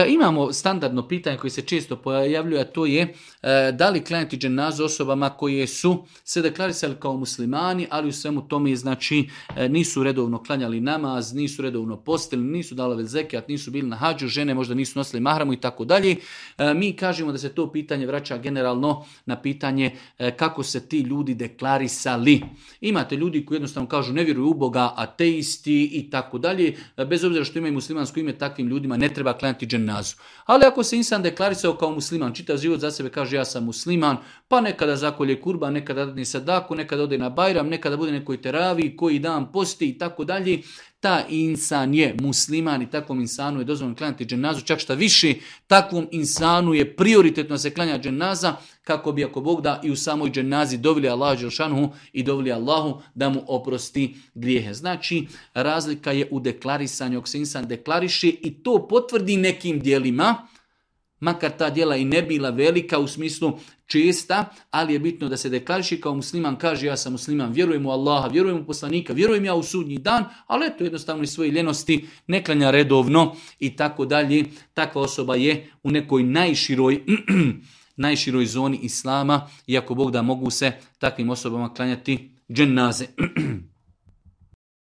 Imamo standardno pitanje koje se često pojavljuje, a to je da li klanjati dženazu osobama koje su se deklarisali kao muslimani, ali u svemu tome znači nisu redovno klanjali namaz, nisu redovno postili, nisu davali zekijat, nisu bili na hadžu, žene možda nisu nosili mahramu i tako dalje. Mi kažemo da se to pitanje vraća generalno na pitanje kako se ti ljudi deklarisali. Imate ljudi koji jednostavno kažu ne vjeruju u Boga, ateisti i tako dalje. Bez obzira što imaju muslimansko ime, takvim ljudima ne treba klanjati dženazu. Ali ako se insan deklarisao kao musliman, čitav život za sebe kaže ja sam musliman, pa nekada zakolje kurban, nekada dadne sadaku, nekada ode na bajram, nekada bude nekoj teraviji, koji dan posti i tako dalje, ta insan je musliman i takvom insanu je dozvoljeno klanjati dženazu, čak šta više, takvom insanu je prioritetno se klanja dženaza, kako bi ako Bog da i u samoj dženazi dovili Allahu dželšanuhu i dovili Allahu da mu oprosti grijehe. Znači, razlika je u deklarisanju, ako se insan deklariše i to potvrdi nekim djelima, makar ta djela i ne bila velika u smislu česta, ali je bitno da se deklariše kao musliman, kaže ja sam musliman, vjerujem u Allaha, vjerujem u poslanika, vjerujem ja u sudnji dan, ali eto jednostavno iz svoje ljenosti ne klanja redovno i tako dalje. Takva osoba je u nekoj najširoj zoni islama, iako Bog da mogu se takvim osobama klanjati dženaze.